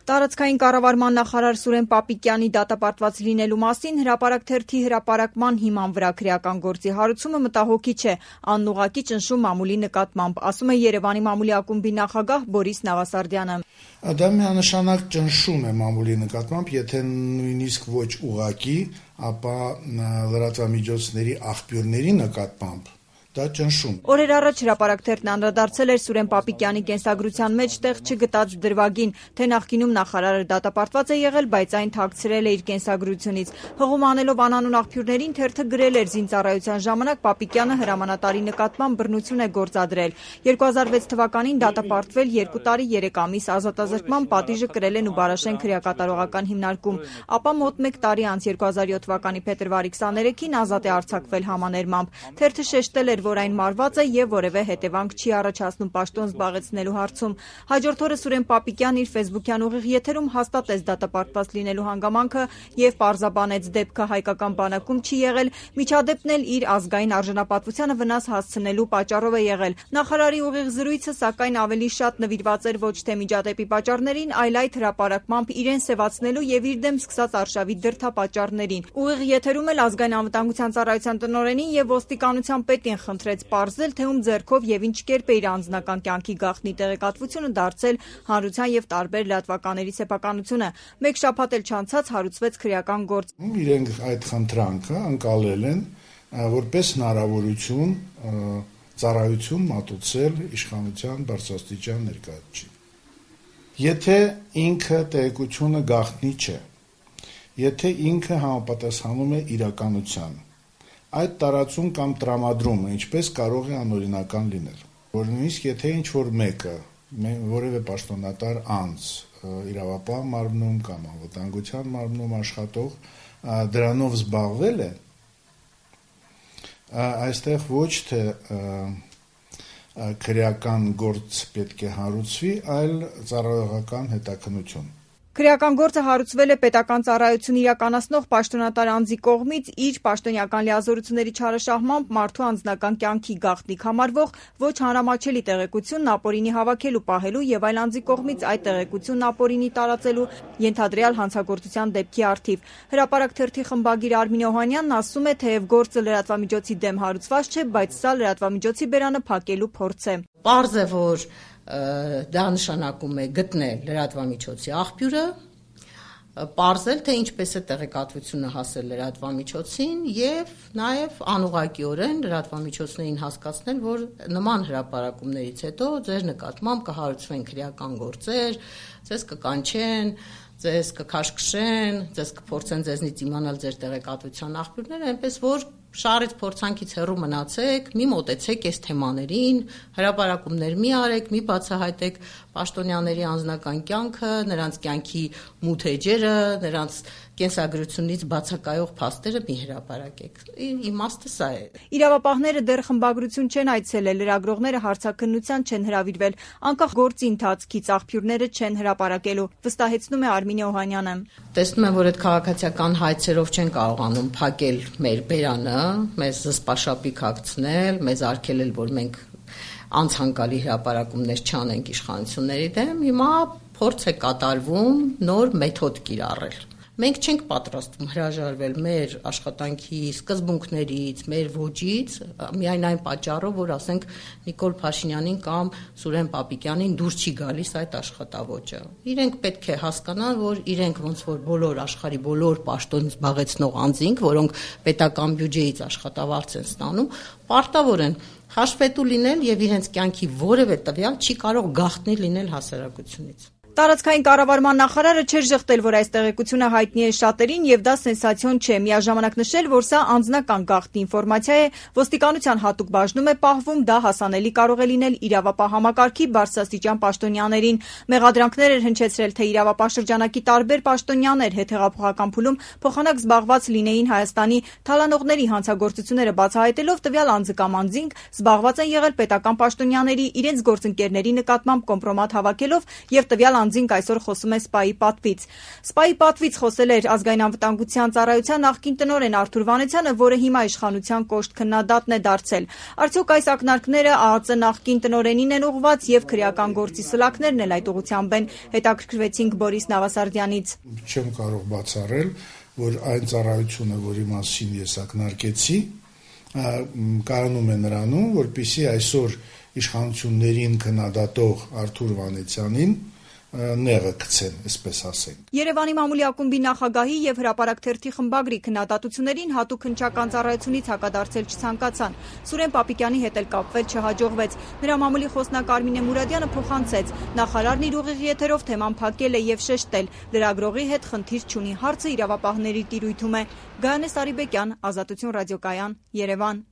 Տարածքային կառավարման նախարար Սուրեն Պապիկյանի դատապարտված լինելու մասին հրապարակ թերթի հրապարակման հիման վրա քրեական գործի հարուցումը մտահոգիչ է, անուղղակի ճնշում մամուլի նկատմամբ, ասում է Երևանի մամուլի ակումբի նախագահ Բորիս Նավասարդյանը։ Դա միանշանակ ճնշում է մամուլի նկատմամբ, եթե նույնիսկ ոչ ուղղակի, ապա լրատվամիջոցների աղբյուրների նկատմամբ դա ճնշում։ Օրեր առաջ հրապարակ թերթն անդրադարձել էր Սուրեն Պապիկյանի կենսագրության մեջ տեղ չգտած դրվագին, թե նախկինում նախարարը դատապարտված է եղել, բայց այն թաքցրել է իր կենսագրությունից։ Հղում անելով անանուն աղբյուրներին թերթը գրել էր զինծառայության ժամանակ Պապիկյանը հրամանատարի նկատմամբ բռնություն է գործադրել։ 2006 թվականին դատապարտվել 2 տարի 3 ամիս ազատազրկման պատիժը կրել են Ուբարաշեն քրեակատարողական հիմնարկում, ապա մոտ 1 տարի անց 2007 թվականի փետրվարի 23-ին ազատ է արձակվել համաներմամբ։ Թերթը շեշտել էր, որ այն մարված է եւ որևէ հետևանք չի առաջացնում պաշտոն զբաղեցնելու հարցում։ Հաջորդ օրը Սուրեն Պապիկյանն իր ֆեյսբուքյան ուղիղ եթերում հաստատեց դատապարտված լինելու հանգամանքը եւ պարզաբանեց դեպքը հայկական բանակում չի եղել, միջադեպն էլ իր ազգային արժանապատվությանը վնաս հասցնելու պատճառով է եղել։ Նախարարի ուղիղ զրույցը սակայն ավելի շատ նվիրված էր ոչ թե միջադեպի պատճառներին, այլ այդ հրապարակմամբ իրեն սևացնելու եւ իր դեմ սկսած արշավի դրդապատճառներին։ Ուղիղ եթերում էլ ազգային անվտանգության ծառայության տնօրենին եւ ոստիկանության պետին խնդրեց պարզել, թե ում ձեռքով եւ ինչ կերպ է իր անձնական կյանքի գաղտնի տեղեկատվությունը դարձել հանրության եւ տարբեր լրատվականների սեփականությունը։ Մեկ շաբաթ էլ չանցած հարուցվեց քրեական գործ։ Իրենք այդ խնդրանքը ընկալել են որպես հնարավորություն ծառայություն մատուցել իշխանության բարձրաստիճան ներկայացուցիչին։ Եթե ինքը տեղեկությունը գաղտնի չէ, եթե ինքը համապատասխանում է իրականությանը, այդ տարածում կամ տրամադրումը ինչպես կարող է անօրինական լինել, որ նույնիսկ եթե ինչ-որ մեկը, որևէ պաշտոնատար անձ իրավապահ մարմնում կամ անվտանգության մարմնում աշխատող դրանով զբաղվել է, այստեղ ոչ թե քրեական գործ պետք է հարուցվի, այլ ծառայողական հետաքննություն։ Քրեական գործը հարուցվել է պետական ծառայություն իրականացնող պաշտոնատար անձի կողմից իր պաշտոնյական լիազորությունների չարաշահմամբ մարդու անձնական կյանքի գաղտնիք համարվող ոչ հանրամատչելի տեղեկությունն ապօրինի հավաքելու, պահելու եւ այլ անձի կողմից այդ տեղեկությունն ապօրինի տարածելու ենթադրյալ հանցագործության դեպքի առթիվ։ Հրապարակ թերթի խմբագիր Արմին Օհանյանն ասում է, թեև գործը լրատվամիջոցի դեմ հարուցված չէ, բայց սա լրատվամիջոցի բերանը փակելու փորձ է։ Պարզ է, որ դա նշանակում է գտնել լրատվամիջոցի աղբյուրը, պարզել, թե ինչպես է տեղեկատվությունը հասել լրատվամիջոցին եւ նաեւ անուղղակիորեն լրատվամիջոցներին հասկացնել, որ նման հրապարակումներից հետո ձեր նկատմամբ կհարուցվեն քրեական գործեր, ձեզ կկանչեն, ձեզ կքաշքշեն, ձեզ կփորձեն ձեզնից իմանալ ձեր տեղեկատվության աղբյուրները, այնպես որ շարից փորձանքից հեռու մնացեք, մի մոտեցեք այս թեմաներին, հրապարակումներ մի արեք, մի բացահայտեք պաշտոնյաների անձնական կյանքը, նրանց կյանքի մութ էջերը, նրանց կենսագրությունից բացակայող փաստերը մի հրապարակեք։ Իմաստը սա է։ Իրավապահները դեռ խմբագրություն չեն այցելել, լրագրողները հարցաքննության չեն հրավիրվել, անկախ գործի ընթացքից աղբյուրները չեն հրապարակելու, վստահեցնում է Արմին Օհանյանը։ Տեսնում եմ, որ այդ քաղաքացիական հայցերով չեն կարողանում փակել մեր բերանը, մեզ զսպաշապիկ հագցնել, մեզ արգելել, որ մենք անցանկալի հրապարակումներ չանենք իշխանությունների դեմ, հիմա փորձ է կատարվում նոր մեթոդ կիրառել։ Մենք չենք պատրաստվում հրաժարվել մեր աշխատանքի սկզբունքներից, մեր ոճից, միայն այն պատճառով, որ ասենք Նիկոլ Փաշինյանին կամ Սուրեն Պապիկյանին դուր չի գալիս այդ աշխատավոճը։ Իրենք պետք է հասկանան, որ իրենք ոնց որ բոլոր աշխարհի բոլոր պաշտոն զբաղեցնող անձինք, որոնք պետական բյուջեից աշխատավարձ են ստանում, պարտավոր են հաշվետու լինել եւ իրենց կյանքի որևէ տվյալ չի կարող գաղտնի լինել հասարակությունից։ Տարածքային կառավարման նախարարը չէր ժխտել, որ այս տեղեկությունը հայտնի է շատերին եւ դա սենսացիոն չէ։ Միաժամանակ նշել, որ սա անձնական գաղտնի ինֆորմացիա է, ոստիկանության հատուկ բաժնում է պահվում, դա հասանելի կարող է լինել իրավապահ համակարգի բարձրաստիճան պաշտոնյաներին։ Մեղադրանքներ էր հնչեցրել, թե իրավապահ շրջանակի տարբեր պաշտոնյաներ հետհեղափոխական փուլում փոխանակ զբաղված լինեին Հայաստանի թալանողների հանցագործությունները բացահայտելով տվյալ անձը կամ անձինք զբաղված են եղել պետական պաշտոնյաների իրենց գործընկերների նկատմամբ կոմպրոմատ հավաքելով եւ տվյալ առանձինք այսօր խոսում է ՍՊԱ-ի պատվից։ ՍՊԱ-ի պատվից խոսել էր ազգային անվտանգության ծառայության նախկին տնօրեն Արթուր Վանեցյանը, որը հիմա իշխանության կոշտ քննադատն է դարձել։ Արդյոք այս ակնարկները ԱԱԾ նախկին տնօրենին են ուղղված եւ քրեական գործի սլաքներն էլ այդ ուղղությամբ են, հետաքրքրվեցինք Բորիս Նավասարդյանից։ Չեմ կարող բացառել, որ այն ծառայությունը, որի մասին ես ակնարկեցի, կայանում է նրանում, որպեսզի այսօր իշխանություններին քննադատող Արթուր Վանեցյանին նեղը գցեն, այսպես ասենք։ Երևանի մամուլի ակումբի նախագահի եւ Հրապարակ թերթի խմբագրի քննադատություններին հատուկ հնչական ծառայությունից հակադարձել չցանկացան։ Սուրեն Պապիկյանի հետ էլ կապվել չհաջողվեց։ Նրա մամուլի խոսնակ Արմինե Մուրադյանը փոխանցեց. նախարարն իր ուղիղ եթերով թեման փակել է եւ շեշտել. լրագրողի հետ խնդիր չունի, հարցը իրավապահների տիրույթում է։ Գայանե Սարիբեկյան, Ազատություն ռադիոկայան, Երևան։